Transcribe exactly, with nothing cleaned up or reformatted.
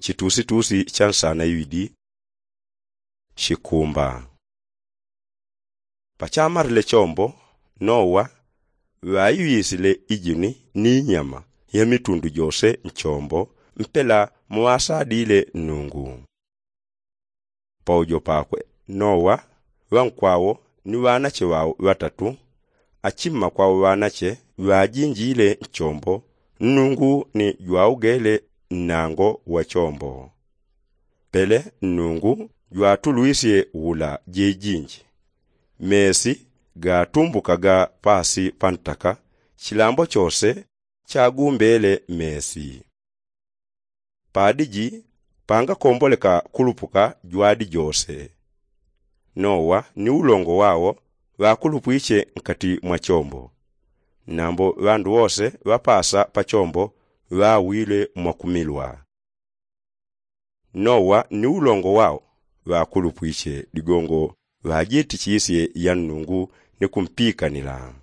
chitusitusi cha nsana iwidi. Shikumba. Pachamarile chombo, nowa ŵaiŵisile ijini ni inyama ya mitundu jose nchombo mpela muŵasadile nnungu. Paujo pakwe, nowa, ŵankwawo ni ŵanache ŵao ŵatatu, achimma kwao ŵanache ŵajinjile nchombo, nnungu ni jwaugele nnango wa chombo. Pele nnungu jwatulwisye wula jeijinji. Mesi gatumbukaga pasi pantaka, chilambo chose chagumbele mesi. Padiji pangakomboleka kulupuka jwadi jose. Nowa ni ulongo wao ŵakulupwiche nkati mwa chombo, nambo ŵandu wose ŵapasa pa chombo ŵawile mwakumilwa. Nowa ni ulongo wao ŵakulupwiche ligongo ŵajitichisye ya nnungu ni kumpikanila.